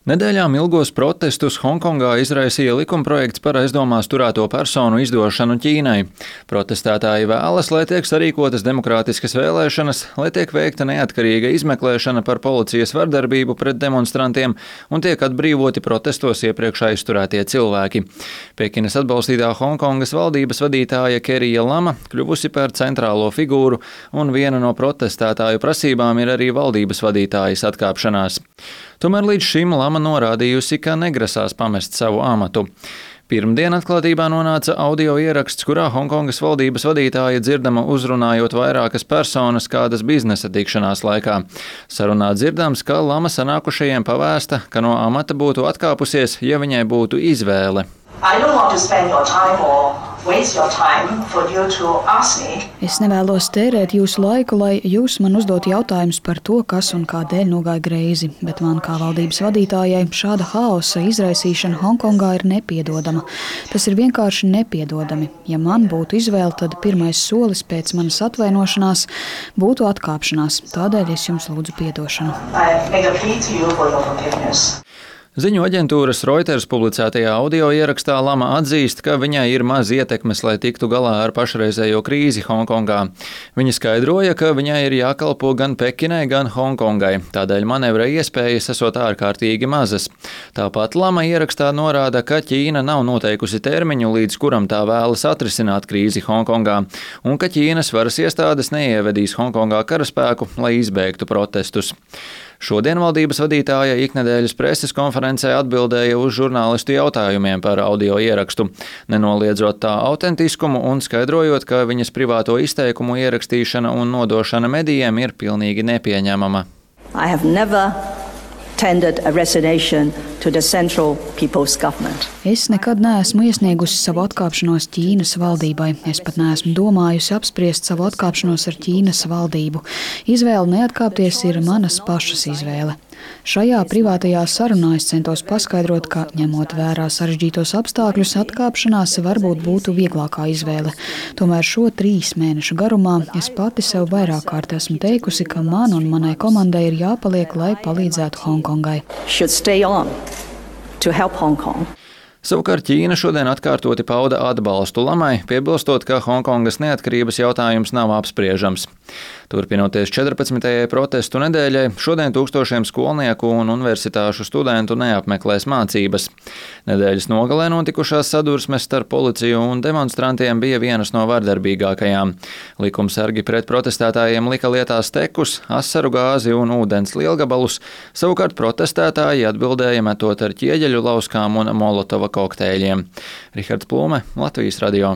Nedēļām ilgos protestus Honkongā izraisīja likumprojekts par aizdomās turēto personu izdošanu Ķīnai. Protestētāji vēlas, lai tiek sarīkotas demokrātiskas vēlēšanas, lai tiek veikta neatkarīga izmeklēšana par policijas vardarbību pret demonstrantiem un tiek atbrīvoti protestos iepriekš aizturētie cilvēki. Pekinas atbalstītā Honkongas valdības vadītāja Kerija Lama kļuvusi par centrālo figūru, un viena no protestētāju prasībām ir arī valdības vadītājas atkāpšanās. Tomēr līdz šim Lama norādījusi, ka negrasās pamest savu amatu. Pirmdien atklātībā nonāca audio ieraksts, kurā Honkongas valdības vadītāja dzirdama uzrunājot vairākas personas kādas biznesa tikšanās laikā. Sarunā dzirdams, ka Lama sanākušajiem pavēsta, ka no amata būtu atkāpusies, ja viņai būtu izvēle. Es nevēlos tērēt jūsu laiku, lai jūs man uzdot jautājumus par to, kas un kādēļ nogāja greizi, bet man kā valdības vadītājai šāda haosa izraisīšana Honkongā ir nepiedodama. Tas ir vienkārši nepiedodami. Ja man būtu izvēle, tad pirmais solis pēc manas atvainošanās būtu atkāpšanās. Tādēļ es jums lūdzu piedošanu. Ziņu aģentūras Reuters publicētajā audio ierakstā Lama atzīst, ka viņai ir maz ietekmes, lai tiktu galā ar pašreizējo krīzi Honkongā. Viņa skaidroja, ka viņai ir jākalpo gan Pekinai, gan Hongkongai, tādēļ manevra iespējas esot ārkārtīgi mazas. Tāpat Lama ierakstā norāda, ka Ķīna nav noteikusi termiņu, līdz kuram tā vēlas atrisināt krīzi Honkongā, un ka Ķīnas varas iestādes neievedīs Honkongā karaspēku, lai izbeigtu protestus. Šodien valdības vadītāja iknedēļas preses konferencē atbildēja uz žurnālistu jautājumiem par audio ierakstu, nenoliedzot tā autentiskumu un skaidrojot, ka viņas privāto izteikumu ierakstīšana un nodošana medijiem ir pilnīgi nepieņemama. Es nekad neesmu iesniegusi savu atkāpšanos Ķīnas valdībai. Es pat neesmu domājusi apspriest savu atkāpšanos ar Ķīnas valdību. Izvēle neatkāpties ir manas pašas izvēle. Šajā privātajā sarunā es centos paskaidrot, ka, ņemot vērā sarežģītos apstākļus, atkāpšanās varbūt būtu vieglākā izvēle. Tomēr šo 3 mēnešu garumā es pati sev vairāk kārt esmu teikusi, ka man un manai komandai ir jāpaliek, lai palīdzētu Hongkongai. Savukārt Ķīna šodien atkārtoti pauda atbalstu Lamai, piebilstot, ka Hongkongas neatkarības jautājums nav apspriežams. Turpinoties 14. protestu nedēļai, šodien tūkstošiem skolnieku un universitāšu studentu neapmeklēs mācības. Nedēļas nogalē notikušās sadursmes starp policiju un demonstrantiem bija vienas no vardarbīgākajām. Likumsargi pret protestētājiem lika lietā stekus, asaru gāzi un ūdens lielgabalus, savukārt protestētāji atbildēja metot ar ķieģeļu lauskām un molotova kokteļiem. Rihards Plūme, Latvijas radio.